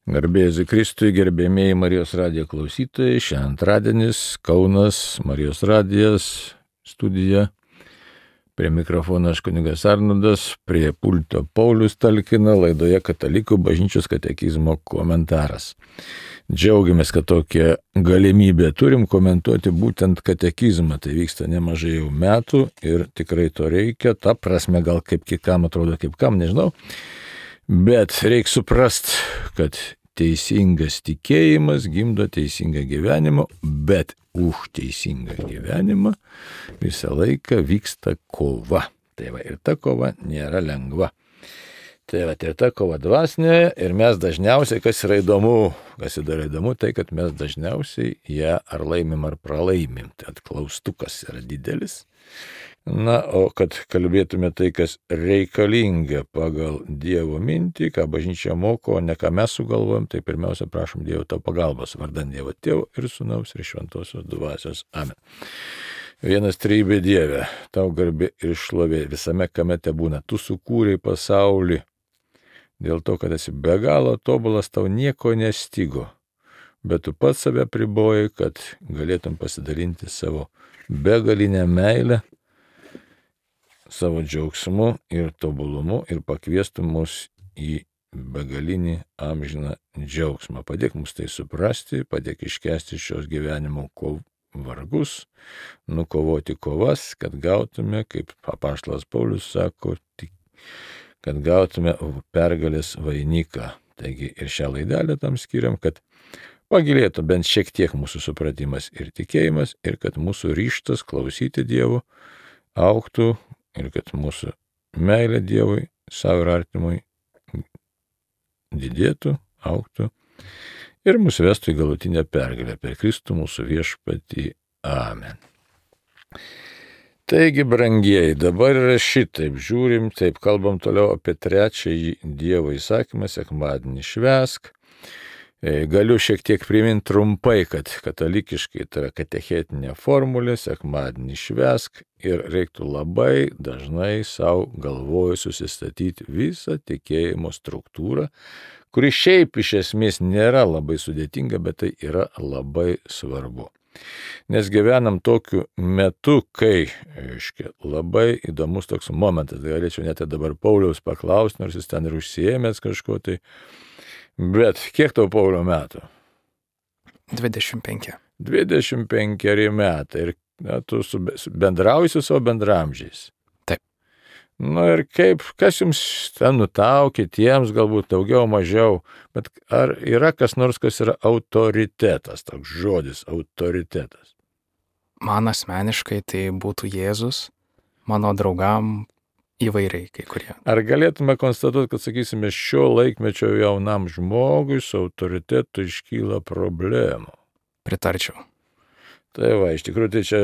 Garbėsiu Kristui, gerbėmėjai Marijos radijo klausytojai, šiandien antradienis, Kaunas, Marijos radijas, studija. Prie mikrofono aš kunigas Arnoldas, prie pulto Paulius talkina, laidoje Katalikų bažnyčios katekizmo komentaras. Džiaugiamės, kad tokią galimybę turim komentuoti būtent katekizmą. Tai vyksta nemažai jau metų ir tikrai to reikia. Ta prasme gal kaip kam atrodo, kaip kam, nežinau. Bet reikia suprast, kad teisingas tikėjimas gimdo teisingą gyvenimą, bet už teisingą gyvenimą visą laiką vyksta kova. Tai va, ir ta kova nėra lengva. Tai va, ir ta kova dvasinė, ir mes dažniausiai, kas yra įdomu, tai kad mes dažniausiai ją ar laimim ar pralaimim. Tai klaustukas yra didelis. Na, o kad kalbėtume tai, kas reikalinga pagal Dievo mintį, ką bažnyčia moko, o ne ką mes sugalvojam, tai pirmiausia prašom Dievo tau pagalbos, vardan Dievo Tėvo ir Sūnaus ir Šventosios Dvasios. Amen. Vienas trejybė Dieve, tau garbė ir šlovė visame, kame te būna. Tu sukūrei pasaulį, dėl to, kad esi be galo tobulas, tau nieko nestigo, bet tu pats save pribojai, kad galėtum pasidalinti savo begalinę meilę, savo džiaugsmu ir tobulumu ir pakviestų mus į begalinį amžiną džiaugsmą. Padėk mums tai suprasti, padėk iškesti šios gyvenimo vargus, nukovoti kovas, kad gautume, kaip apaštalas Paulius sako, kad gautume pergalės vainiką. Taigi ir šią laidelę tam skiriam, kad pagilėtų bent šiek tiek mūsų supratimas ir tikėjimas ir kad mūsų ryžtas klausyti Dievo augtų, ir kad mūsų meilė Dievui, savo ir artimui didėtų, augtų ir mūsų vestų į galutinę pergalę per Kristų mūsų viešpatį. Amen. Taigi, brangieji, dabar yra šitaip žiūrim, taip kalbam toliau apie trečiąjį Dievo įsakymą, sekmadienį švęsk. Galiu šiek tiek priminti trumpai, kad katalikiškai tai yra katechetinė formulė, sekmadienį švęsk ir reiktų labai dažnai savo galvoje susistatyti visą tikėjimo struktūrą, kuri šiaip iš esmės nėra labai sudėtinga, bet tai yra labai svarbu. Nes gyvenam tokiu metu, kai, labai įdomus toks momentas, galėčiau net dabar Pauliaus paklausti, nors jis ten ir užsiėmęs kažko tai. Bet kiek tau, Paulio, metų? 25. 25 metai. Ir tu bendrauji su savo bendramžiais. Taip. Nu ir kaip, kas jums ten nutaukė, tiems galbūt daugiau, mažiau, bet ar yra kas nors, kas yra autoritetas, toks žodis, autoritetas? Man asmeniškai tai būtų Jėzus, mano draugam įvairiai kai kurie. Ar galėtume konstatuoti, kad, sakysime, šio laikmečio jaunam žmogui su autoritetu iškyla problemų? Pritarčiau. Tai va, iš tikrųjų tai čia,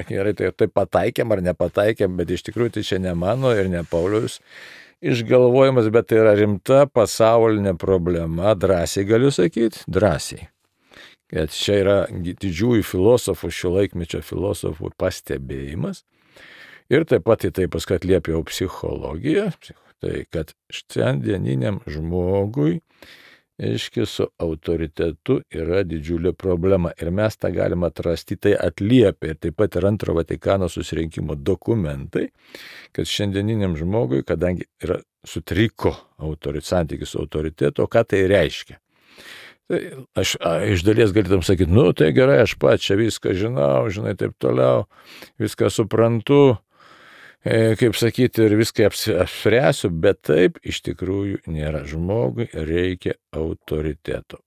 gerai, tai pataikėm ar nepataikėm, bet iš tikrųjų tai čia ne mano ir ne Pauliaus išgalvojimas, bet tai yra rimta pasaulinė problema, drąsiai galiu sakyti, drąsiai. Kad čia yra didžiųjų filosofų, šio laikmečio filosofų pastebėjimas. Ir taip pat į tai paskui atliepia jau psichologija, tai kad šiandieniniam žmogui, su autoritetu yra didžiulė problema. Ir mes tą galime atrasti, tai atliepia ir taip pat ir Antro Vatikano susirinkimo dokumentai, kad šiandieniniam žmogui, kadangi yra sutriko santykis su autoritetu, ką tai reiškia. Tai aš iš dalies galėtum sakyti, nu tai gerai, aš pats čia viską žinau, žinai, taip toliau, viską suprantu, kaip sakyti, ir viską apspręsiu, bet taip iš tikrųjų nėra. Žmogui reikia autoriteto.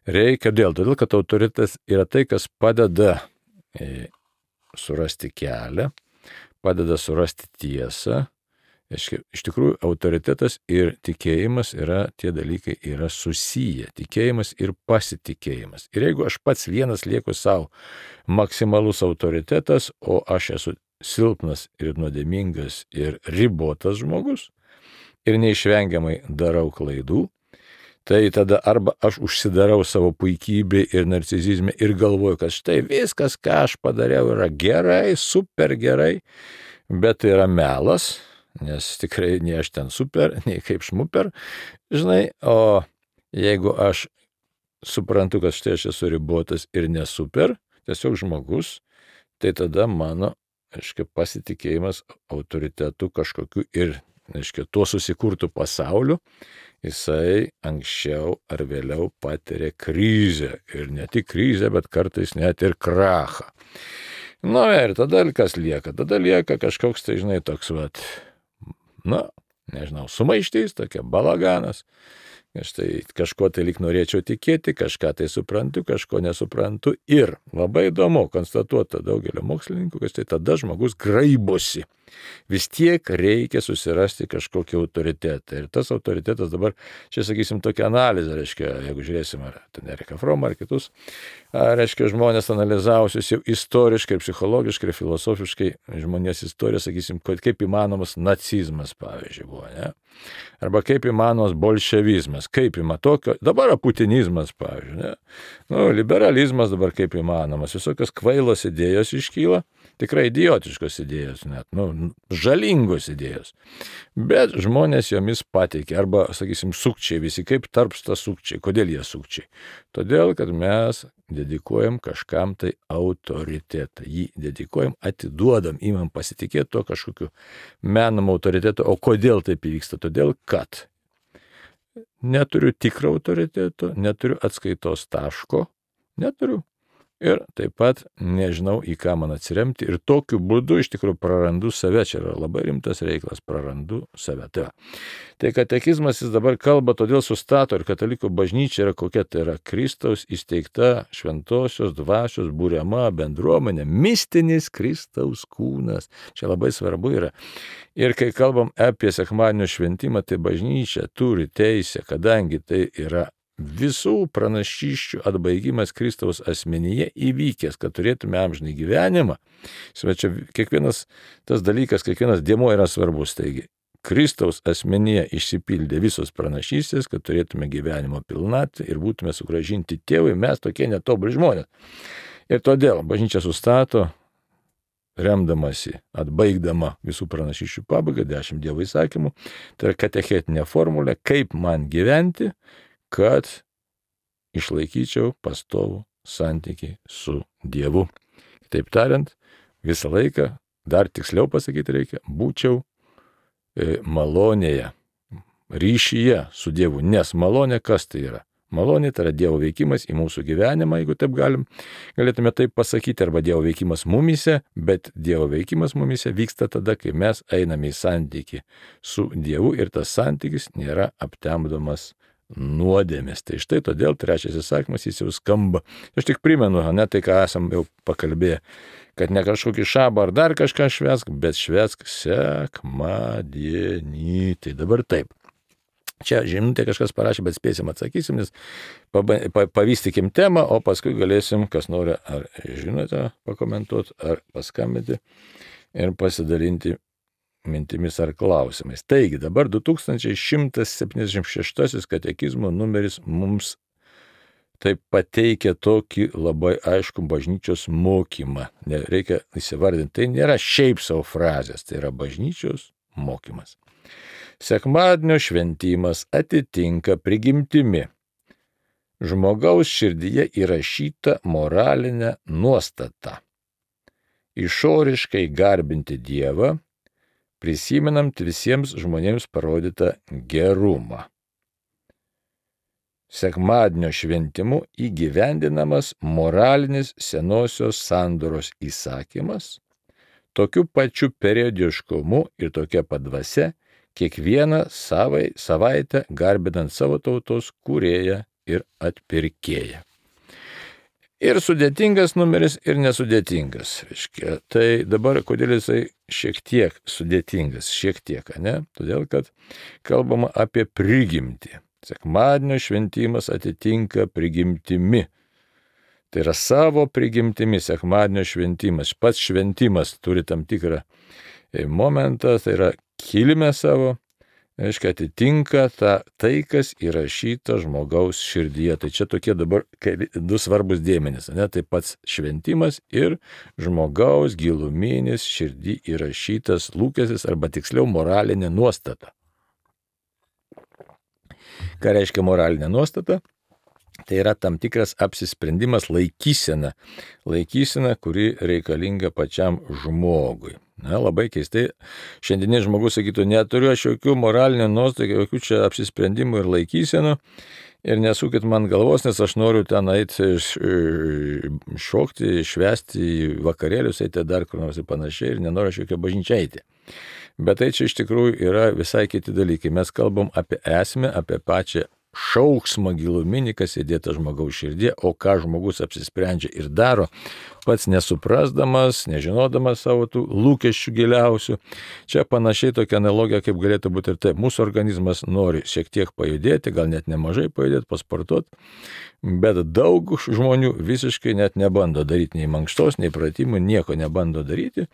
Reikia todėl, kad autoritetas yra tai, kas padeda surasti kelią, padeda surasti tiesą. Iš tikrųjų, autoritetas ir tikėjimas tie dalykai yra susiję. Tikėjimas ir pasitikėjimas. Ir jeigu aš pats vienas lieku savo maksimalus autoritetas, o aš esu silpnas ir nuodėmingas ir ribotas žmogus ir neišvengiamai darau klaidų, tai tada arba aš užsidarau savo puikybė ir narcisizme ir galvoju, kad štai viskas, ką aš padariau, yra gerai, super gerai, bet tai yra melas, nes tikrai nei aš ten super, nei kaip šmuper, žinai, o Jeigu aš suprantu, kad štai aš esu ribotas ir nesuper, tiesiog žmogus, tai tada mano, pasitikėjimas autoritetu kažkokiu ir, tuo susikurtų pasauliu, jisai anksčiau ar vėliau patiria krizę. Ir ne tik krizę, bet kartais net ir krachą. Ir tada kas lieka? Tada lieka kažkoks, tai toks, sumaištys, tokia balaganas. Štai kažko tai lyg norėčiau tikėti, kažką tai suprantu, kažko nesuprantu. Ir labai įdomu konstatuota daugelio mokslininkų, kad štai tada žmogus graibosi. Vis tiek reikia susirasti kažkokį autoritetą. Ir tas autoritetas dabar, čia sakysim, tokia analizė, jeigu žiūrėsim, ar ten Eriką Fromą, ar kitus, žmonės analizavusius jau istoriškai, psichologiškai ir filosofiškai žmonės istoriją, sakysim, kaip įmanomas nacizmas, pavyzdžiui, buvo, ne? Arba kaip įmanomas bolševizmas, kaip tokio, dabar putinizmas, pavyzdžiui, ne? Liberalizmas dabar kaip įmanomas, visokios kvailos idėjos iškyla, tikrai idiotiškos idėjos net, žalingos idėjos. Bet žmonės jomis pateikia, arba, sakysim, sukčiai visi, kaip tarpsta sukčiai. Kodėl jie sukčiai? Todėl, kad mes dedikuojam kažkam tai autoritetą. Jį dedikuojam, atiduodam, imam pasitikėti to kažkokiu menam autoritetu. O kodėl taip įvyksta? Todėl, kad neturiu tikro autoriteto, neturiu atskaitos taško, neturiu. Ir taip pat nežinau, į ką man atsiremti. Ir tokiu būdu iš tikrųjų prarandu save. Čia yra labai rimtas reikalas, prarandu save. Tai katekizmas jis dabar kalba, todėl sustato ir katalikų bažnyčia yra kokia, tai yra Kristaus įsteigta šventosios dvasios būriama bendruomenė, mistinis Kristaus kūnas. Čia labai svarbu yra. Ir kai kalbam apie sekmadienio šventimą, tai bažnyčia turi teisę, kadangi tai yra visų pranašysčių atbaigimas Kristaus asmenyje įvykęs, kad turėtume amžinį gyvenimą. Čia kiekvienas tas dalykas, kiekvienas dėmuo yra svarbus. Taigi, Kristaus asmenyje išsipildė visos pranašystės, kad turėtume gyvenimo pilnatvę ir būtume sugrąžinti tėvui, mes tokie netobuli žmonės. Ir todėl bažnyčia sustato, remdamasi, atbaigdama visų pranašysčių pabaigą, 10 Dievo įsakymų, tai yra katechetinė formulė, kaip man gyventi, kad išlaikyčiau pastovų santykį su Dievu. Kitaip tariant, visą laiką, dar tiksliau pasakyti reikia, būčiau malonėje, ryšyje su Dievu. Nes malonė kas tai yra? Malonė tai yra Dievo veikimas į mūsų gyvenimą, jeigu taip galėtume taip pasakyti, arba Dievo veikimas mumyse, bet Dievo veikimas mumyse vyksta tada, kai mes einame į santykį su Dievu ir tas santykis nėra aptemdomas nuodėmės. Tai štai todėl trečias įsakymas jis jau skamba. Aš tik primenu, ne tai, ką esam jau pakalbėję, kad ne kažkokį šabą ar dar kažką švęsk, bet švęsk sekmadienį. Tai dabar taip. Čia žinutė kažkas parašė, bet spėsim atsakysim, nes pavystykim temą, o paskui galėsim, kas nori, ar žinote, pakomentuoti, ar paskambinti ir pasidalinti mintimis ar klausimais. Taigi, dabar 2176 katekizmo numeris mums taip pateikia tokį labai aišku bažnyčios mokymą. Reikia įsivardinti, tai nėra šiaip savo frazės, tai yra bažnyčios mokymas. Sekmadienio šventimas atitinka prigimtimi žmogaus širdyje įrašytą moralinę nuostatą. Išoriškai garbinti Dievą, prisimenant visiems žmonėms parodytą gerumą. Sekmadienio šventimu įgyvendinamas moralinis senosios sandoros įsakymas, tokiu pačiu periodiškumu ir tokia pat dvasia, kiekvieną savaitę garbinant savo tautos kūrėją ir atpirkėją. Ir sudėtingas numeris, ir nesudėtingas. Tai dabar kodėl jisai šiek tiek sudėtingas, ne? Todėl, kad kalbama apie prigimtį. Sekmadienio šventimas atitinka prigimtimi. Tai yra savo prigimtimi sekmadienio šventimas. Pats šventimas turi tam tikrą momentą, tai yra kilmę savo, atitinka tai, kas įrašyta žmogaus širdyje. Tai čia tokie dabar du svarbus dėmenys. Tai pats šventimas ir žmogaus giluminis širdį įrašytas lūkestis, arba tiksliau moralinė nuostata. Ką reiškia moralinė nuostata? Tai yra tam tikras apsisprendimas, laikysena, kuri reikalinga pačiam žmogui. Na, labai keistai, šiandieninis žmogus sakytų, neturiu aš jokių moralinių nuostatų, jokių čia apsisprendimų ir laikysenų ir nesukit man galvos, nes aš noriu ten eiti šokti, švęsti vakarėlius, eiti dar kur nors ir panašiai ir nenoriu aš jokio bažnyčią eiti. Bet tai čia iš tikrųjų yra visai kiti dalykai. Mes kalbam apie esmę, apie pačią šauksmą giluminį, kas įdėta žmogaus širdie, o ką žmogus apsisprendžia ir daro, pats nesuprasdamas, nežinodamas savo tų lūkesčių giliausių. Čia panašiai tokia analogija, kaip galėtų būti ir taip. Mūsų organizmas nori šiek tiek pajudėti, gal net nemažai pajudėti, pasportuoti, bet daug žmonių visiškai net nebando daryti nei mankštos, nei pratimų, nieko nebando daryti.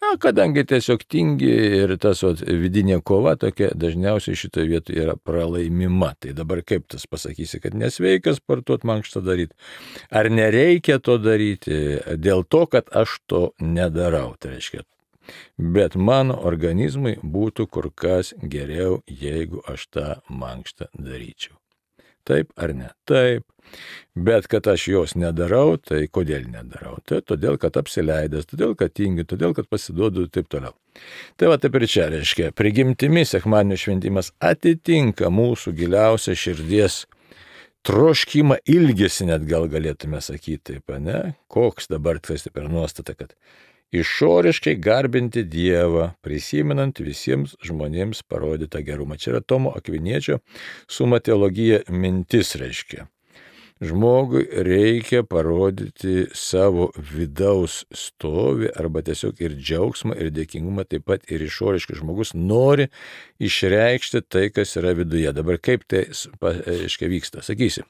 Na, kadangi tiesiog tingi ir tas vidinė kova tokia dažniausiai šitoje vietoje yra pralaimima. Tai dabar kaip tas pasakysi, kad nesveika sportuoti, mankštą daryti. Ar nereikia to daryti dėl to, kad aš to nedarau, tai reiškia. Bet mano organizmui būtų kur kas geriau, jeigu aš tą mankštą daryčiau. Taip ar ne? Taip. Bet kad aš jos nedarau, tai kodėl nedarau? Tai todėl, kad apsileidęs, todėl, kad tingiu, todėl, kad pasiduodu ir taip toliau. Tai va taip ir čia reiškia, prigimtimi sekmadienio šventimas atitinka mūsų giliausią širdies troškimą, ilgesį net gal galėtume sakyti, taip, ne? Koks dabar tas per nuostata, kad išoriškai garbinti Dievą, prisimenant visiems žmonėms parodytą gerumą. Čia yra Tomo Akviniečio Summa Theologiae mintis reiškia. Žmogui reikia parodyti savo vidaus stovį arba tiesiog ir džiaugsmą, ir dėkingumą, taip pat ir išoriškai. Žmogus nori išreikšti tai, kas yra viduje. Dabar kaip tai vyksta? Sakysim,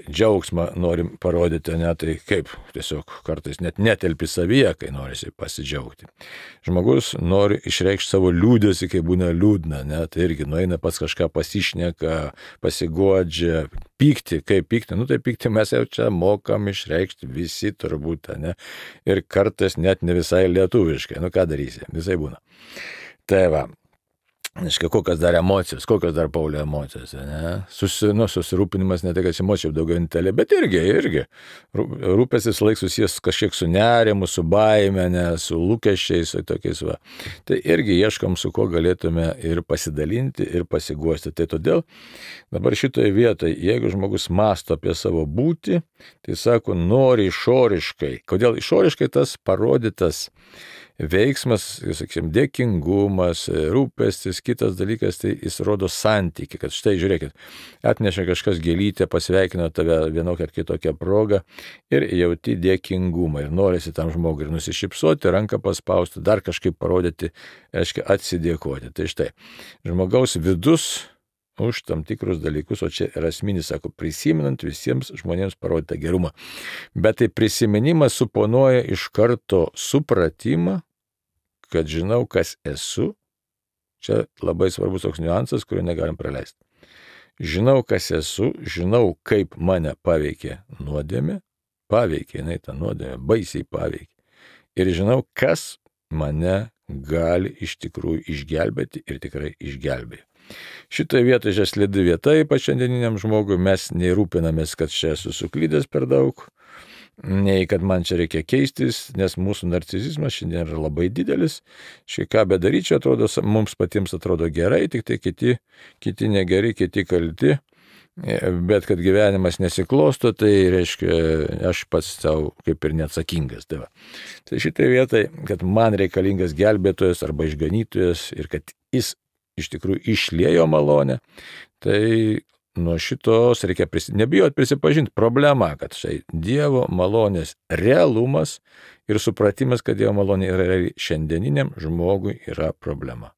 džiaugsmą norim parodyti, ne, tai kaip tiesiog kartais net netelpi savyje, kai norisi pasidžiaugti. Žmogus nori išreikšti savo liūdėsi, kai būna liūdna, ne, tai irgi nueina pas kažką pasišneka, pasiguodžia, pykti, kaip pykti, tai pykti mes jau čia mokam išreikšti visi turbūt, ne, ir kartais net ne visai lietuviškai, ką darysi, visai būna. Tai va. Kokios dar emocijos, kokios dar Paulio emocijos, ne? Susirūpinimas ne tai, kad emocijų daugiau intelė, bet irgi. Rūpestis laik susijęs kažkiek su nerimu, su baime, ne, su lūkesčiais, su tokiais va. Tai irgi ieškom, su kuo galėtume ir pasidalinti, ir pasiguosti. Tai todėl dabar šitoje vietoje, jeigu žmogus mąsto apie savo būtį, tai sako, nori išoriškai. Kodėl išoriškai tas parodytas veiksmas, sakysim, dėkingumas, rūpestis, kitas dalykas, tai jis rodo santykį, kad štai žiūrėkit, atnešė kažkas gėlytę, pasveikino tave vienokią ar kitokią progą ir jauti dėkingumą ir norisi tam žmogui ir nusišypsoti, ranką paspausti, dar kažkaip parodyti, reiškia atsidėkoti. Tai štai, žmogaus vidus už tam tikrus dalykus, o čia yra esminis, sako, prisimenant visiems žmonėms parodytą gerumą. Bet tai prisiminimas suponuoja iš karto supratimą, kad žinau, kas esu. Čia labai svarbus toks niuansas, kurio negalim praleisti. Žinau, kas esu, žinau, kaip mane paveikė nuodėmė, jinai tą nuodėmę baisiai paveikė. Ir žinau, kas mane gali iš tikrųjų išgelbėti ir tikrai išgelbėjo. Šitoje vietoje čia slidi vieta, ypač šiandieniniam žmogui, mes nei rūpinamės, kad čia esu suklydęs per daug, nei kad man čia reikia keistis, nes mūsų narcisizmas šiandien yra labai didelis. Štai ką bedaryčiau, atrodo, mums patiems atrodo gerai, tik tai kiti negeri, kiti kalti, bet kad gyvenimas nesiklosto, tai reiškia, aš pats savo kaip ir neatsakingas. Tai šitoje vietoje, kad man reikalingas gelbėtojas arba išganytojas ir kad jis iš tikrųjų išliejo malonę, tai nuo šitos reikia nebijot prisipažinti problema, kad štai Dievo malonės realumas ir supratimas, kad Dievo malonė yra šiandieniniam žmogui yra problema.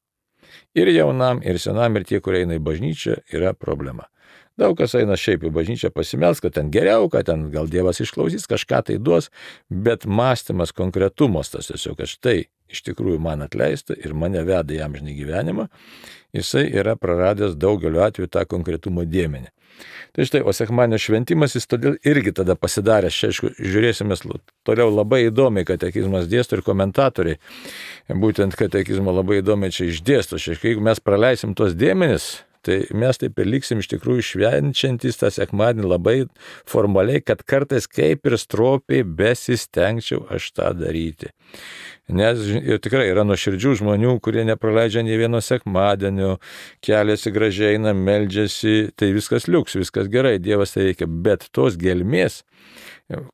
Ir jaunam, ir senam, ir tie, kurie eina į bažnyčią, yra problema. Daug kas eina šiaip į bažnyčią pasimels, kad ten geriau, kad ten gal Dievas išklausys, kažką tai duos, bet mąstymas, konkretumas tas tiesiog, kad štai iš tikrųjų man atleista ir mane veda į amžinį gyvenimą, jisai yra praradęs daugeliu atveju tą konkretumo dėmenį. Tai štai, o sekmadienio šventimas jis todėl irgi tada pasidarė, aišku, žiūrėsime toliau labai įdomiai, katekizmas dėsto ir komentatoriai, būtent katekizmo labai įdomiai čia išdėsto, jeigu mes praleisim tos dėmenis, tai mes taip ir liksim iš tikrųjų švenčiantys tą sekmadienį labai formaliai, kad kartais kaip ir stropiai besistengčiau aš tą daryti. Nes ir tikrai yra nuoširdžių žmonių, kurie nepraleidžia nei vieno sekmadienio, keliasi gražiai, eina, meldžiasi, tai viskas liuks, viskas gerai, Dievas tai reikia, bet tos gelmės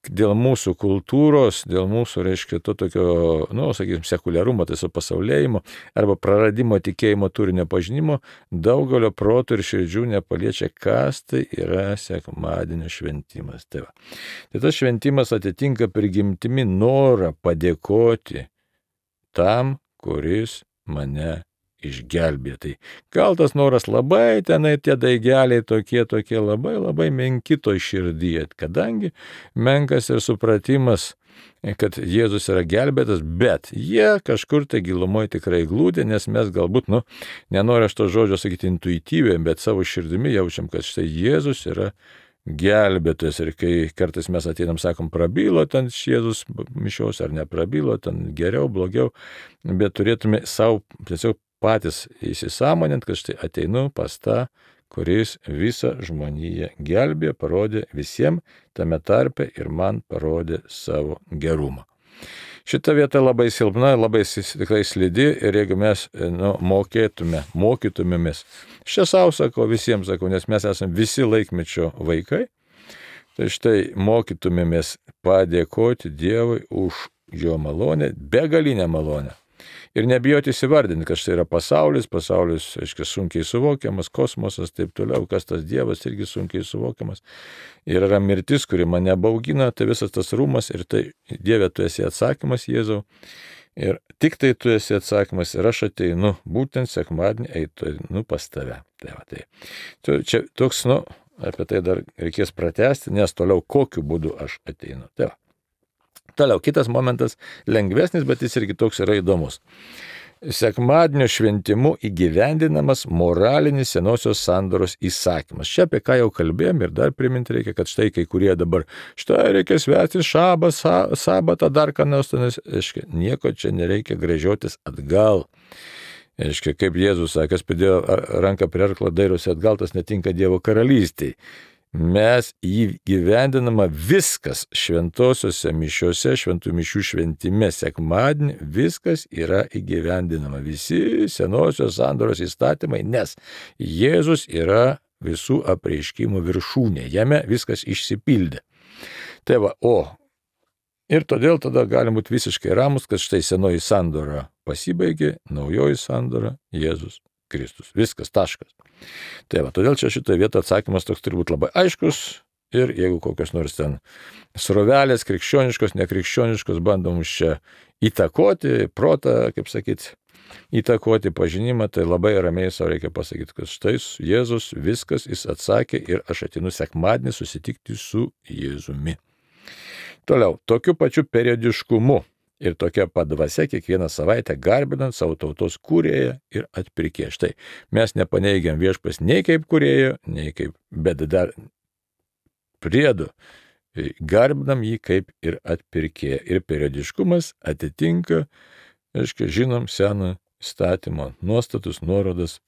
dėl mūsų kultūros, dėl mūsų, reiškia, to tokio, sakysim, sekuliarumo, tai supasaulėjimo arba praradimo tikėjimo turinio pažinimo, daugelio protų ir širdžių nepaliečia, kas tai yra sekmadienio šventimas. Tai tas šventimas atitinka prigimtimi norą padėkoti tam, kuris mane išgelbė. Tai gal tas noras labai tenai tie daigeliai tokie labai menki toj širdyje, kadangi menkas ir supratimas, kad Jėzus yra gelbėtas, bet jie kažkur tai gilumoje tikrai glūdė, nes mes galbūt, nenoriu aš to žodžio sakyti intuityviai, bet savo širdimi jaučiam, kad štai Jėzus yra gelbėtojas ir kai kartais mes ateinam, sakom, prabilo ten Jėzus mišios ar neprabilo, ten geriau, blogiau, bet turėtume savo tiesiog patys įsisąmonint, kad štai ateinu pas tą, kuris visą žmoniją gelbė, parodė visiems tame tarpe ir man parodė savo gerumą. Šita vieta labai silpna, labai tikrai slidi ir jeigu mes mokytumėmės, čia savo sakau, visiems sakau, nes mes esame visi laikmečio vaikai, tai štai mokytumėmės padėkoti Dievui už jo malonę, begalinę malonę. Ir nebijoti įsivardinti, kad štai yra pasaulis, aiškiai, sunkiai suvokiamas, kosmosas, taip toliau, kas tas Dievas irgi sunkiai suvokiamas. Ir yra mirtis, kuri mane baugina, tai visas tas rūmas ir tai Dieve, tu esi atsakymas, Jėzau. Ir tik tai tu esi atsakymas ir aš ateinu, būtent sekmadienį einu pas tave. Tai čia toks, apie tai dar reikės pratęsti, nes toliau kokiu būdu aš ateinu. Toliau, kitas momentas, lengvesnis, bet jis irgi toks yra įdomus. Sekmadienio šventimu įgyvendinamas moralinis senosios sandoros įsakymas. Čia apie ką jau kalbėjom ir dar priminti reikia, kad štai kai kurie dabar, štai reikia švęsti sabatą, dar ką nors, nieko čia nereikia gręžiotis atgal. Kaip Jėzus sakė, kas pridėjo ranką prie arklo, dairosi atgal, tas netinka Dievo karalystei. Mes įgyvendinama viskas šventosiuose mišiuose, šventų mišių šventime sekmadienį, viskas yra įgyvendinama. Visi senosios sandoros įstatymai, nes Jėzus yra visų apreiškimų viršūnė, jame viskas išsipildė. Ir todėl tada galim būti visiškai ramus, kad štai senoji sandora pasibaigė, naujoji sandora Jėzus Kristus. Viskas, taškas. Todėl čia šitoje vietoje atsakymas toks turi būti labai aiškus ir jeigu kokios nors ten srovelės, krikščioniškos, nekrikščioniškos, bandom už čia įtakoti, protą, kaip sakyti, įtakoti pažinimą, tai labai ramiai savo reikia pasakyti, kad štai Jėzus viskas, jis atsakė ir aš ateinu sekmadienį susitikti su Jėzumi. Toliau, tokiu pačiu periodiškumu ir tokia padvasia kiekvieną savaitę garbinant savo tautos kūrėją ir atpirkėją. Štai, mes nepaneigiam viešpas nei kaip kūrėjo, nei kaip, bet dar priedu garbinam jį kaip ir atpirkėją. Ir periodiškumas atitinka, žinom, seno įstatymo nuostatus, nuorodas.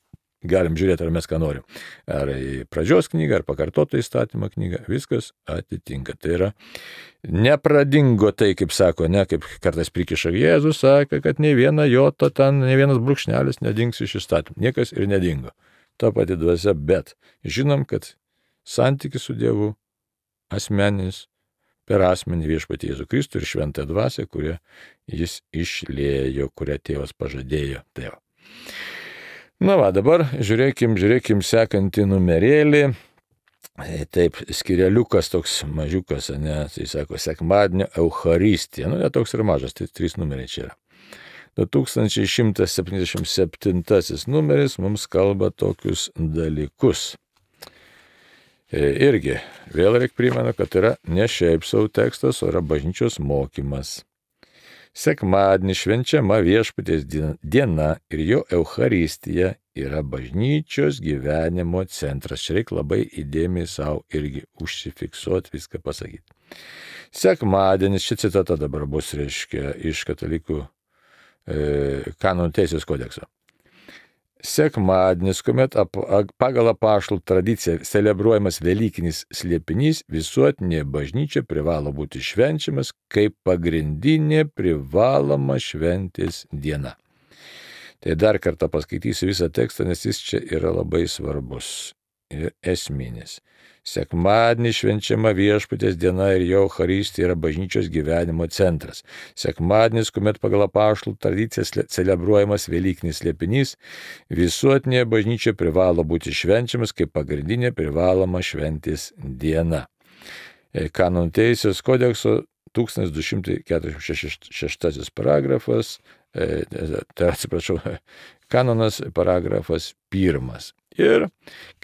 Galim žiūrėti, ar mes ką norim. Ar į pradžios knygą, ar pakartotą įstatymą knygą, viskas atitinka. Tai yra, nepradingo tai, kaip sako, kaip kartais prikiša Jėzus, sakė, kad nei viena jota ten, nei vienas brūkšnelis nedings iš įstatymų. Niekas ir nedingo. Ta pati dvasia, bet žinom, kad santykis su Dievu asmeninis per asmenį viešpatį Jėzų Kristų ir šventąją dvasią, kurią jis išliejo, kurią tėvas pažadėjo. Dabar žiūrėkim sekantį numerėlį. Taip, skireliukas toks mažiukas, tai sako, sekmadienio Eucharistija. Toks ir mažas, tai 3 numeriai čia yra. 2177 numeris mums kalba tokius dalykus. Irgi, vėl reikia primenu, kad yra ne šiaip savo tekstas, o yra bažnyčios mokymas. Sekmadienį švenčiama viešpaties diena ir jo Eucharistija yra bažnyčios gyvenimo centras. Čia reikia labai įdėmiai savo irgi užsifiksuoti, viską pasakyti. Sekmadienis, ši citata dabar bus, reiškia, iš katalikų kanonų teisės kodekso. Sekmadienis, kuomet pagal apaštalų tradiciją celebruojamas Velykinis slėpinys, visuotinė bažnyčia privalo būti švenčiamas kaip pagrindinė privaloma šventės diena. Tai dar kartą paskaitysiu visą tekstą, nes jis čia yra labai svarbus ir esminis. Sekmadienį švenčiama Viešpaties diena ir jo Eucharistija yra bažnyčios gyvenimo centras. Sekmadienis, kuomet pagal apaštalų tradiciją celebruojamas Velykinis slėpinys, visuotinė bažnyčia privalo būti švenčiamas kaip pagrindinė privaloma šventės diena. Kanonų teisės kodekso 1246 paragrafas, kanonas paragrafas 1. Ir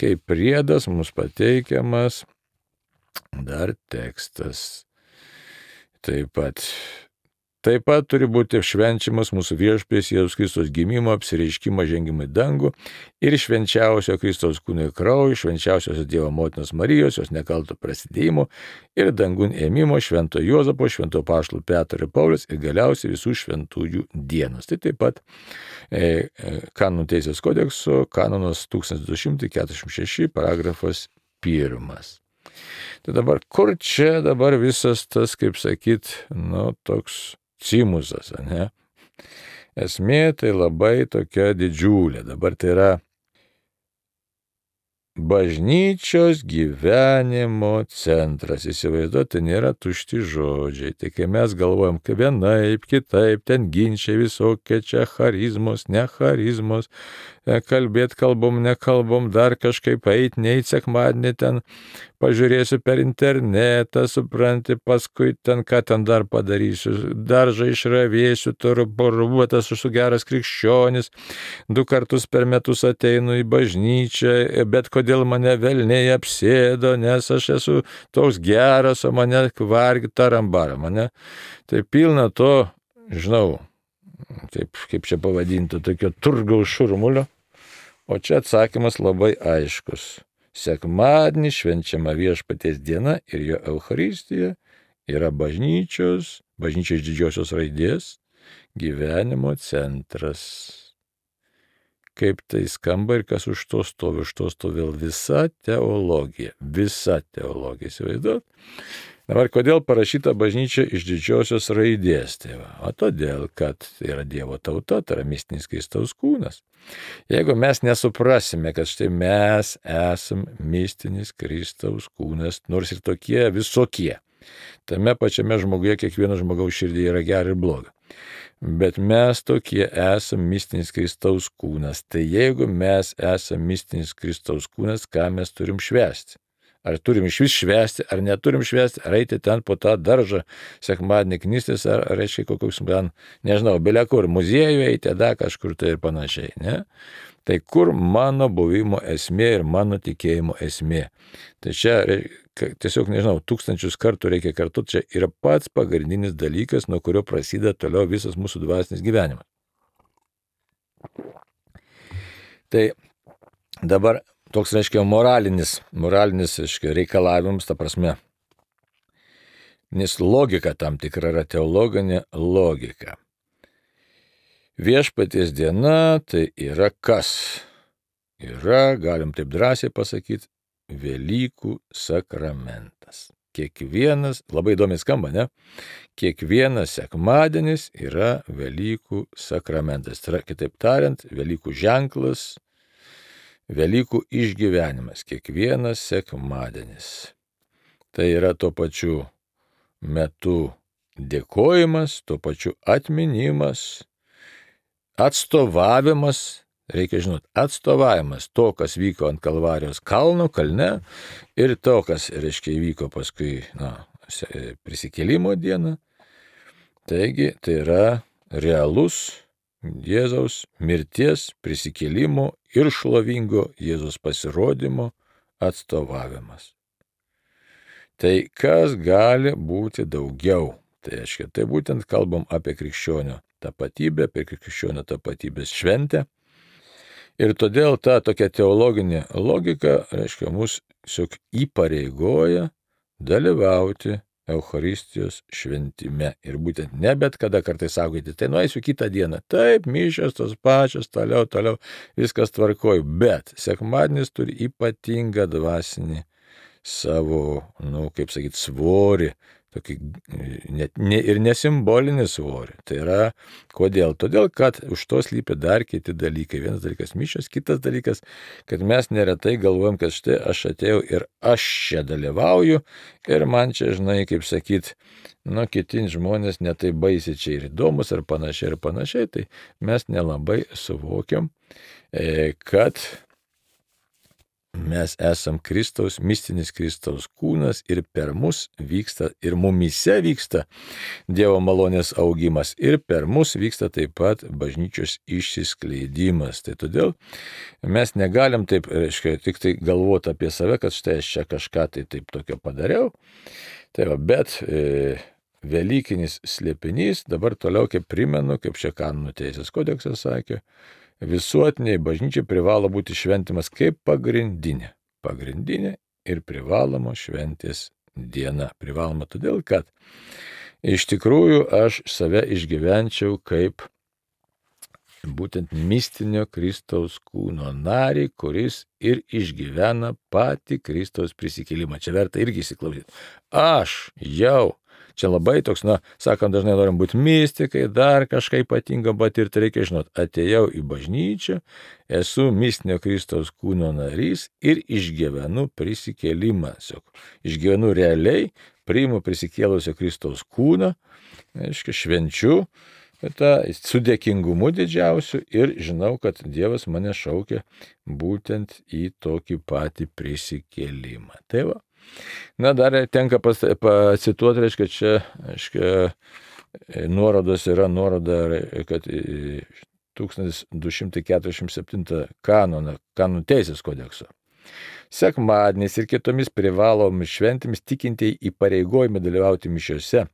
kaip priedas mums pateikiamas dar tekstas. Taip pat turi būti švenčiamas mūsų Viešpaties Jėzaus Kristaus gimimo, apsireiškimo, žengimo į dangų ir švenčiausio Kristaus kūno ir kraujo, švenčiausios Dievo motinos Marijos, jos nekalto prasidėjimo ir dangun ėmimo, švento Juozapo, švento apaštalų Petro ir Pauliaus ir galiausiai visų šventųjų dienos. Tai taip pat Kanonų teisės kodekso kanonas 1246 paragrafas 1. Tai dabar, kur čia dabar visas tas, kaip sakyt, toks cimusas, ne? Esmė tai labai tokia didžiulė. Dabar tai yra bažnyčios gyvenimo centras. Įsivaizduoti, tai nėra tušti žodžiai. Tai kai mes galvojam, kad vienaip, kitaip, ten ginčiai visokie, čia charizmos, ne charizmos, kalbėt kalbom, nekalbom, dar kažkaip eit, neit sekmadienį ten, pažiūrėsiu per internetą, supranti, paskui ten ką ten dar padarysiu, daržą išravėsiu, turbuotas, esu geras krikščionis, 2 kartus per metus ateinu į bažnyčią, bet kodėl mane velniai apsėdo, nes aš esu toks geras, o mane vargi tarambara, mane. Tai pilna to, žinau, taip kaip čia pavadinti, tokio turgaus šurmulio, o čia atsakymas labai aiškus. Sekmadienį švenčiama Viešpaties diena ir jo Eucharistija yra bažnyčios iš didžiosios raidės gyvenimo centras. Kaip tai skamba ir kas už to stovi? Už to stovi visa teologija. Įsivaizduot? Dabar, kodėl parašyta bažnyčia iš didžiosios raidės? Tai todėl, kad tai yra Dievo tauta, tai yra mistinis Kristaus kūnas. Jeigu mes nesuprasime, kad štai mes esam mistinis Kristaus kūnas, nors ir tokie visokie, tame pačiame žmoguje kiekvieno žmogaus širdį yra gera ir bloga. Bet mes tokie esam mistinis Kristaus kūnas. Tai jeigu mes esam mistinis Kristaus kūnas, ką mes turim švęsti? Ar turim iš vis švęsti, ar neturim švęsti, ar eiti ten po tą daržą sekmadienį knistis, ar reiškia kokius, nežinau, belia kur, muziejų eiti, kažkur tai ir panašiai, ne? Tai kur mano buvimo esmė ir mano tikėjimo esmė? Tai čia tiesiog, nežinau, 1000 kartų reikia kartuoti, čia yra pats pagrindinis dalykas, nuo kurio prasideda toliau visas mūsų dvasinis gyvenimas. Tai dabar toks, reiškia, moralinis reikalavimus, ta prasme, nes logika tam tikra yra teologinė logika. Viešpaties diena tai yra kas? Yra, galim taip drąsiai pasakyti, Velykų sakramentas. Kiekvienas, labai įdomiai skamba, ne? Kiekvienas sekmadienis yra Velykų sakramentas. Tai yra, kitaip tariant, Velykų ženklas, Velykų išgyvenimas, kiekvienas sekmadienis. Tai yra tuo pačiu metu dėkojimas, tuo pačiu atminimas, atstovavimas, reikia žinoti, atstovavimas to, kas vyko ant Kalvarijos kalne ir to, kas, reiškia, įvyko paskui prisikėlimo dieną. Taigi, tai yra realus Jėzaus mirties, prisikėlimo ir šlovingo Jėzaus pasirodymo atstovavimas. Tai kas gali būti daugiau? Tai reiškia, tai būtent kalbam apie krikščionio tapatybę, apie krikščionio tapatybės šventę. Ir todėl ta tokia teologinė logika, reiškia, mus tiesiog įpareigoja dalyvauti Eucharistijos šventime. Ir būtent ne bet kada kartais saugoti, tai nueisiu kitą dieną. Taip, mišios tos pačios, toliau, viskas tvarkoju. Bet sekmadienis turi ypatingą dvasinį savo, svorį. Tokį ir nesimbolinį svorį. Tai yra, kodėl? Todėl, kad už to slypi dar kiti dalykai. Vienas dalykas mišios, kitas dalykas, kad mes neretai galvojam, kad štai aš atėjau ir aš čia dalyvauju ir man čia, kiti žmonės netai baisiai čia ir įdomus ir panašiai, tai mes nelabai suvokiam, kad mes esam Kristaus, mistinis Kristaus kūnas ir per mus vyksta, ir mumyse vyksta Dievo malonės augimas, ir per mus vyksta taip pat bažnyčios išsiskleidimas. Tai todėl mes negalim taip, tik tai galvoti apie save, kad štai aš čia kažką tai taip tokio padariau. Tai va, bet Velykinis slėpinys, dabar toliau kaip primenu, kaip čia Kanonų teisės kodeksas sakė, visuotiniai bažnyčiai privalo būti šventimas kaip pagrindinė ir privaloma šventės diena. Privaloma todėl, kad iš tikrųjų aš save išgyvenčiau kaip būtent mistinio Kristaus kūno narį, kuris ir išgyvena patį Kristaus prisikėlimą. Čia verta irgi įsiklausyti. Čia labai toks, sakom, dažnai norim būti mystikai, dar kažką ypatingo patirti, reikia žinot, atėjau į bažnyčią, esu mistinio Kristaus kūno narys ir išgyvenu prisikėlimą. Išgyvenu realiai, priimu prisikėlusio Kristaus kūną, švenčiu su dėkingumu didžiausiu ir žinau, kad Dievas mane šaukia būtent į tokį patį prisikėlimą. Tai va. Dar tenka pacituoti, nuorodos yra nuoroda, kad 1247 kanonų teisės kodekso. Sekmadienis ir kitomis privalomis šventėmis tikintieji įpareigojami dalyvauti mišiose.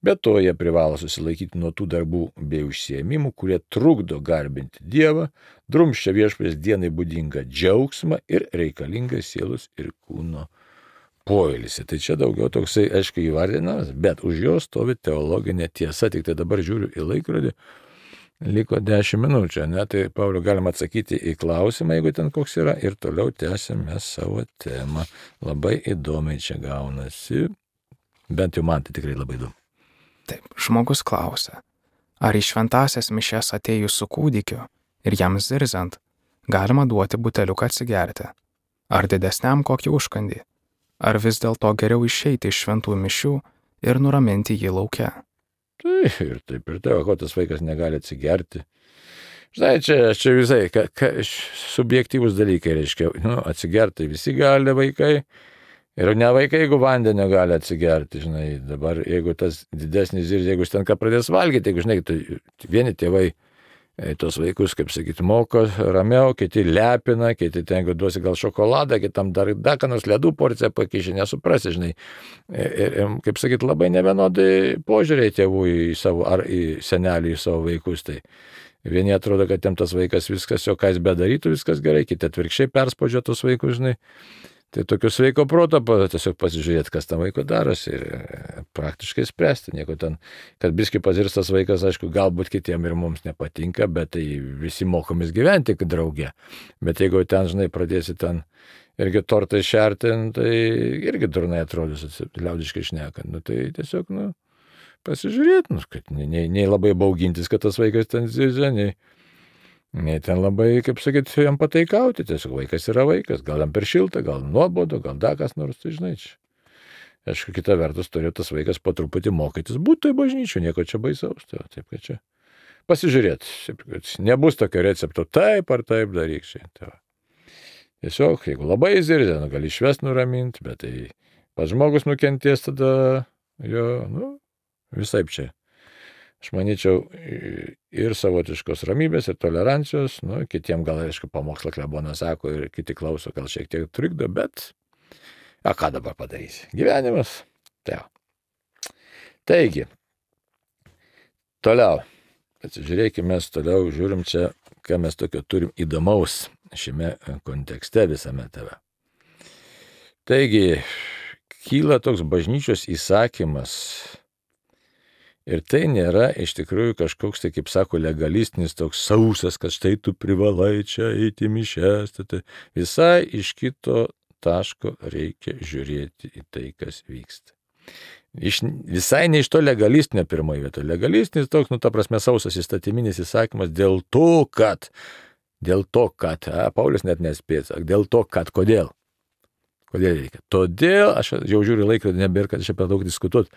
Be to jie privalo susilaikyti nuo tų darbų bei užsiėmimų, kurie trukdo garbinti Dievą, drumsčia viešpaties dienai būdingą džiaugsmą ir reikalingą sielos ir kūno poilsį. Tai čia daugiau toksai, aiškiai, įvardinamas, bet už jo stovi teologinė tiesa. Tik tai dabar žiūriu į laikrodį, liko 10 minučių, tai Pauliau galima atsakyti į klausimą, jeigu ten koks yra, ir toliau tęsime savo temą. Labai įdomiai čia gaunasi, bent jau man tai tikrai labai įdomu. Taip, žmogus klausia, ar į šventąsias mišias atėjus su kūdikiu ir jam zirzant, galima duoti buteliuką atsigerti? Ar didesniam kokį užkandį? Ar vis dėlto geriau išeiti iš šventų mišių ir nuraminti jį lauke? Taip, ko tas vaikas negali atsigerti. Žinai, čia visai subjektyvūs dalykai, reiškia, atsigerti visi gali vaikai, ir ne vaikai, jeigu vandenio gali atsigerti, žinai, dabar jeigu tas didesnis ir jeigu jis ten ką pradės valgyti, jeigu, žinai, tai vieni tėvai tos vaikus, kaip sakyti, moko ramiau, kiti lepina, kiti ten duosi gal šokoladą, kitam dar ką nors ledų porciją pakiši, nesuprasi, žinai. Ir, kaip sakyti, labai nevienodai požiūriai tėvų į savo, ar į senelį, į savo vaikus. Tai vieni atrodo, kad jam tas vaikas viskas, jo ką jis bedarytų, viskas gerai, kiti atvirkščiai perspaudžia tos vaikus, žinai. Tai tokio sveiko proto tiesiog pasižiūrėti, kas tam vaiko darosi ir praktiškai spręsti. Nieko ten, kad biškai pazirstas vaikas, aišku, galbūt kitiem ir mums nepatinka, bet tai visi mokomės gyventi drauge. Bet jeigu ten, žinai, pradėsi ten irgi tortai šerti, tai irgi durnai atrodys, liaudiškai šnekant. Tai tiesiog, pasižiūrėti, kad nei labai baugintis, kad tas vaikas ten zirzia, nei ten labai, kaip sakyti, jam pataikauti, tiesiog vaikas yra vaikas, gal jam per šilta, gal nuobodu, gal dar kas nors, tai žinai čia. Aišku, kita vertus turėjo tas vaikas po truputį mokytis, būtų į bažnyčių, nieko čia baisaus, tai taip, kad čia pasižiūrėti, nebus tokio recepto, taip ar taip daryk čia. Tai tiesiog, jeigu labai zirzia, gali išvest nuraminti, bet tai pats žmogus nukentės tada jo, visaip čia. Aš manyčiau, ir savotiškos ramybės, ir tolerancijos, kitiem gal, aišku, pamokslą klebonas sako ir kiti klauso, gal šiek tiek trikdo, bet, ką dabar padarysi? Gyvenimas. Taigi, toliau, atsižiūrėkime, toliau žiūrim čia, ką mes tokio turim įdomaus šiame kontekste visame tave. Taigi, kyla toks bažnyčios įsakymas. Ir tai nėra iš tikrųjų kažkoks, tai kaip sako, legalistinis toks sausas, kad štai tu privalai čia eiti mišes. Tai visai iš kito taško reikia žiūrėti į tai, kas vyksta. Visai ne iš to legalistinio pirmoje vietoje. Legalistinis toks, ta prasme, sausas įstatyminis įsakymas dėl to, kad, Paulius net nespės, dėl to, kad, kodėl reikia. Todėl, aš jau žiūriu laikrodį, nebėra, kad čia per daug diskutuoti.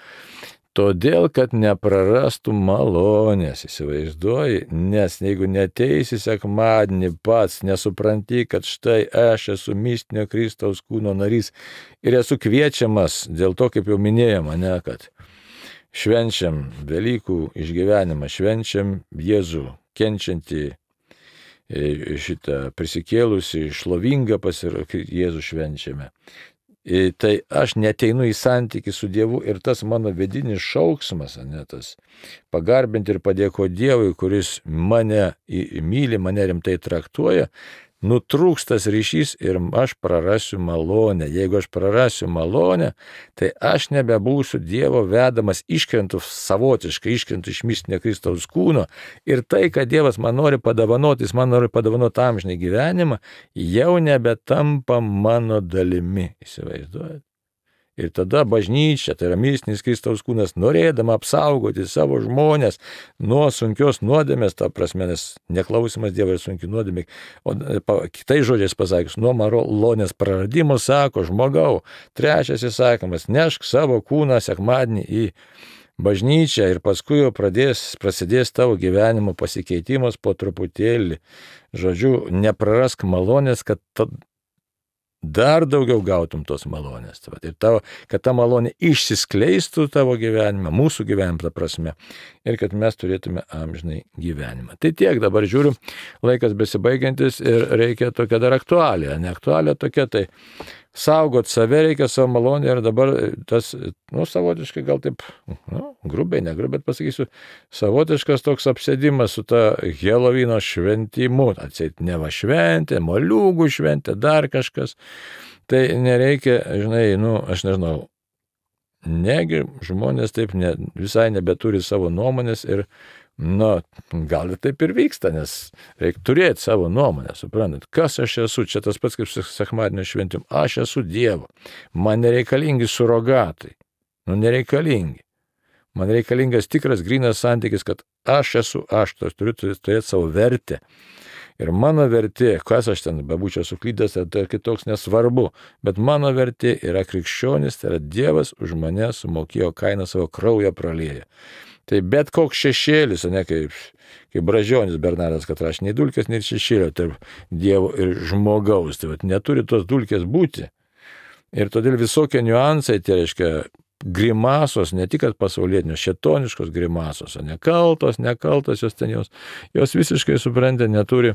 Todėl, kad neprarastų malonės, įsivaizduoji, nes jeigu neteisi sekmadienį pats, nesupranti, kad štai aš esu mistinio Kristaus kūno narys ir esu kviečiamas, dėl to, kaip jau minėjom, kad švenčiam Velykų išgyvenimą, švenčiam Jėzų, kenčiantį šitą prisikėlusi, šlovingą Jėzų švenčiame. Tai aš neteinu į santykį su Dievu ir tas mano vidinis šauksmas, tas pagarbinti ir padėkoti Dievui, kuris mane myli, mane rimtai traktuoja, nutrūkstas ryšys ir aš prarasiu malonę. Jeigu aš prarasiu malonę, tai aš nebebūsiu Dievo vedamas, iškrentu iš mistinio Kristaus kūno ir tai, kad Dievas man nori padovanoti, jis man nori padovanoti amžinai gyvenimą, jau nebetampa mano dalimi, įsivaizduojate. Ir tada bažnyčia, tai yra mistinis Kristaus kūnas, norėdama apsaugoti savo žmonės nuo sunkios nuodėmės, ta prasme, nes neklausimas Dievo ir sunki nuodėmė, o kitais žodžiais pasakius, nuo malonės praradimo, sako, žmogau, trečias įsakymas, nešk savo kūną sekmadienį į bažnyčią ir paskui jau prasidės tavo gyvenimo pasikeitimas po truputėlį. Žodžiu, neprarask malonės, kad dar daugiau gautum tos malonės. Ir kad ta malonė išsiskleistų tavo gyvenime, mūsų gyvenime, ta prasme, ir kad mes turėtume amžinai gyvenimą. Tai tiek, dabar žiūriu, laikas besibaigiantis ir reikia tokia dar aktualija. Ne aktualija tokia, tai saugot save reikia, savo malonę ir dabar tas, savotiškai gal taip, grubiai, negrubiai, bet pasakysiu, savotiškas toks apsėdimas su ta Helovino šventimu, atseit neva šventė, moliūgų šventė, dar kažkas. Tai nereikia, aš nežinau, negi žmonės taip visai nebeturi savo nuomonės ir gal ir taip ir vyksta, nes reikia turėti savo nuomonę, suprantat, kas aš esu, čia tas pats kaip sekmadienio šventim, aš esu Dievo, man nereikalingi surogatai, nereikalingi, man reikalingas tikras grynas santykis, kad aš esu aš, turiu turėti savo vertę. Ir mano vertė, kas aš ten bebūčiau suklydęs, tai kitoks nesvarbu, bet mano vertė yra krikščionis, tai yra Dievas už mane sumokėjo kainą, savo kraują pralieja. Tai bet koks šešėlis, kaip Bražionis Bernardas, kad aš nei dulkės, nei šešėlio tarp Dievo ir žmogaus, tai neturi tos dulkės būti. Ir todėl visokie niuansai, tai reiškia grimasos, ne tik pasaulietinios, šėtoniškos grimasos, nekaltos, jos ten jos visiškai suprantė, neturi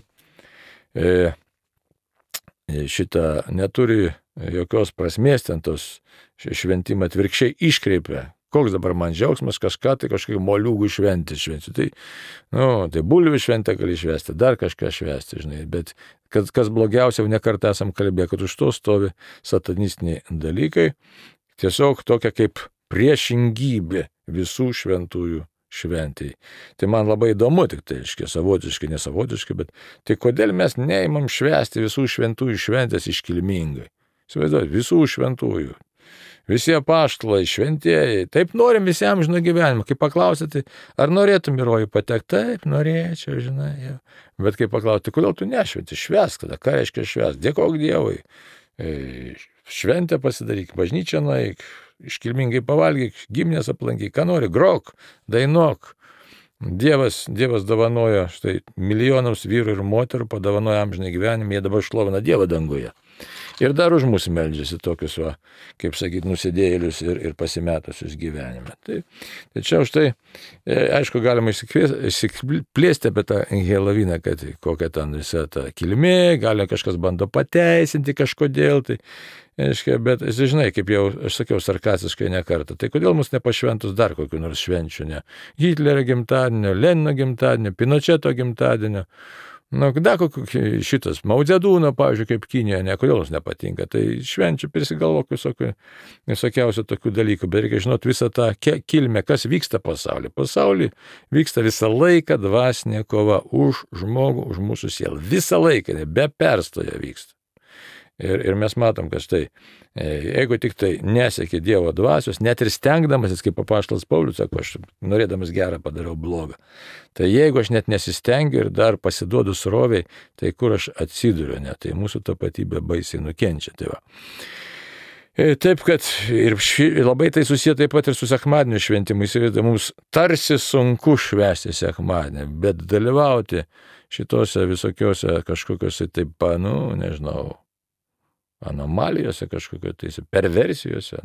neturi jokios prasmės, ten tos šventimą atvirkščiai iškreipia. Koks dabar man džiaugsmas, kažką tai kažkaip moliūgų šventį. Tai bulvių šventę gali švęsti, dar kažką švęsti, bet kas blogiausia, jau nekartą esam kalbėję, kad už to stovi satanistiniai dalykai, tiesiog tokia kaip priešingybė visų šventųjų šventėjai. Tai man labai įdomu, tik tai, savotiškai, nesavotiškai, bet tai kodėl mes neimam švęsti visų šventųjų šventės iškilmingai? Įsivaizduojate, visų šventųjų. Visi apaštalai, šventieji, taip norim visi amžino gyvenimo. Kai paklausėte, ar norėtum į rojų patekti? Taip, norėčiau, jau. Bet kai paklausėte, kodėl tu nešventi? Švęsk tada, ką reiškia švęsk? Dėkok Dievui. Šventę pasidaryk, bažnyčią nueik, iškilmingai pavalgyk, giminės aplankyk, ką nori, grok, dainuok. Dievas dovanojo štai milijonams vyrų ir moterų, padovanojo amžinai gyvenimą, jie dabar šlovina Dievą danguje. Ir dar už mus meldžiasi tokius, kaip sakyti, nusidėjėlius ir pasimetusius gyvenime. Tai čia už tai, aišku, galima išsiplėsti apie tą Heloviną, kad kokia ten visa ta kilmė, gali kažkas bando pateisinti kažkodėl, bet žinai, kaip jau aš sakiau sarkastiškai ne kartą, tai kodėl mus nepašventus dar kokiu nors švenčiu, ne Hitlerio gimtadienio, Lenino gimtadienio, Pinocheto gimtadienio, Da, šitas Maudzedūno, pavyzdžiui, kaip Kinijoje, kodėl jums nepatinka, tai švenčių prisigalvok visokiausių tokių dalykų, bet reikia žinoti visą tą kilmę, kas vyksta pasaulyje. Pasaulyje vyksta visą laiką dvasinė kova už žmogų, už mūsų sielą. Visą laiką, be perstojo vyksta. Ir mes matom, kad štai, jeigu tik tai nesieki Dievo dvasios, net ir stengdamasis, kaip apaštalas Paulius sako, aš norėdamas gerą padariau blogą. Tai jeigu aš net nesistengiu ir dar pasiduodu sroviai, tai kur aš atsiduriu, ne? Tai mūsų tapatybė baisiai nukenčia. Tai va. Taip, kad ir labai tai susiję taip pat ir su sekmadienio šventimu. Įsivaizduoju, mums tarsi sunku švęsti sekmadienį, bet dalyvauti šitose visokiose kažkokiose taip, nežinau, anomalijose kažkokio, tai perversijose,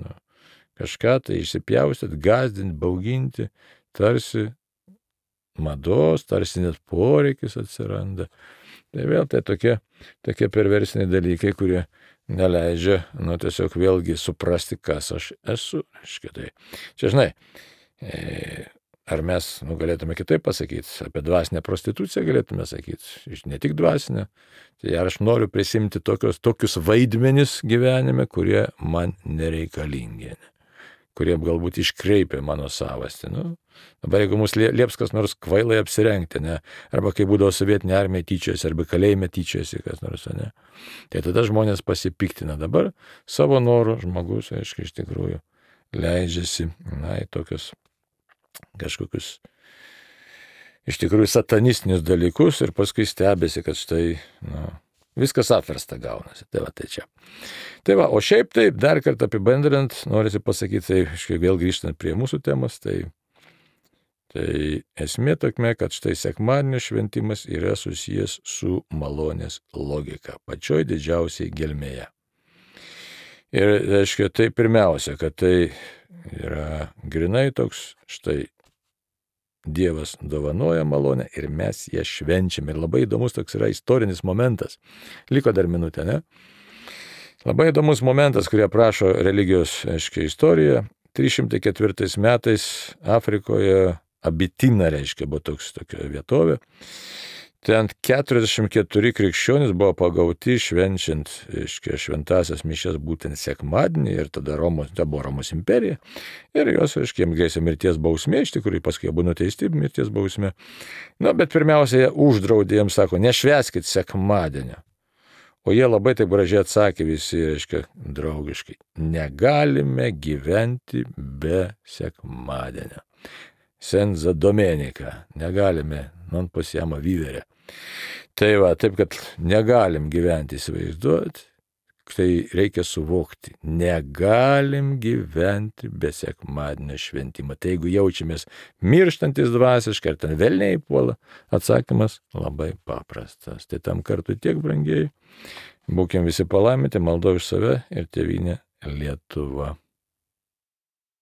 kažką tai išsipjaustyti, gąsdinti, bauginti, tarsi mados, tarsi net poreikis atsiranda. Tai vėl tai tokie perversiniai dalykai, kurie neleidžia, tiesiog vėlgi suprasti, kas aš esu. Tai čia, žinai, ar mes galėtume kitaip pasakyti, apie dvasinę prostituciją galėtume sakyti, ne tik dvasinę, tai ar aš noriu prisimti tokius vaidmenis gyvenime, kurie man nereikalingi, kurie galbūt iškreipia mano savastį. Dabar jeigu mus lieps kas nors kvailai apsirengti, arba kai būdavo sovietinė armija tyčiasi, arba kalėjime tyčiasi kas nors, tai tada žmonės pasipiktina. Dabar savo norų žmogus, aišku, iš tikrųjų leidžiasi, į tokius kažkokius iš tikrųjų satanistinius dalykus ir paskui stebėsi, kad štai, viskas apversta gaunasi. Tai va, tai čia. Tai va, o šiaip taip, dar kartą apibendrinant, norisi pasakyti, tai vėl grįžtant prie mūsų temos, tai esmė tokia, kad štai sekmadienio šventimas yra susijęs su malonės logika, pačioj didžiausiai gelmėje. Ir, reiškia, tai pirmiausia, kad tai yra grinai toks, štai Dievas dovanoja malonę ir mes ją švenčiame. Ir labai įdomus toks yra istorinis momentas. Liko dar minutė, ne? Labai įdomus momentas, kurį aprašo religijos, istorija. 304 metais Afrikoje Abitina, buvo tokia vietovė. Ten 44 krikščionys buvo pagauti švenčiant šventasias mišias būtent sekmadienį ir tada buvo Romos imperija ir jos, jiems grėsė mirties bausmė, iš tikrųjų paskui buvo nuteisti mirties bausmė. Bet pirmiausia, jie uždraudė, jiems sako, nešvęskit sekmadienio. O jie labai taip gražiai atsakė visi, draugiškai, negalime gyventi be sekmadienio. Senza domenica, negalime, non possiamo vivere. Tai va, taip, kad negalim gyventi, įsivaizduoti, tai reikia suvokti, negalim gyventi be sekmadienio šventimo. Tai jeigu jaučiamės mirštantis dvasiškai, ar ten velniai puola, atsakymas labai paprastas. Tai tam kartui tiek, brangiai, būkim visi palaiminti, maldo už save ir tėvynę Lietuva.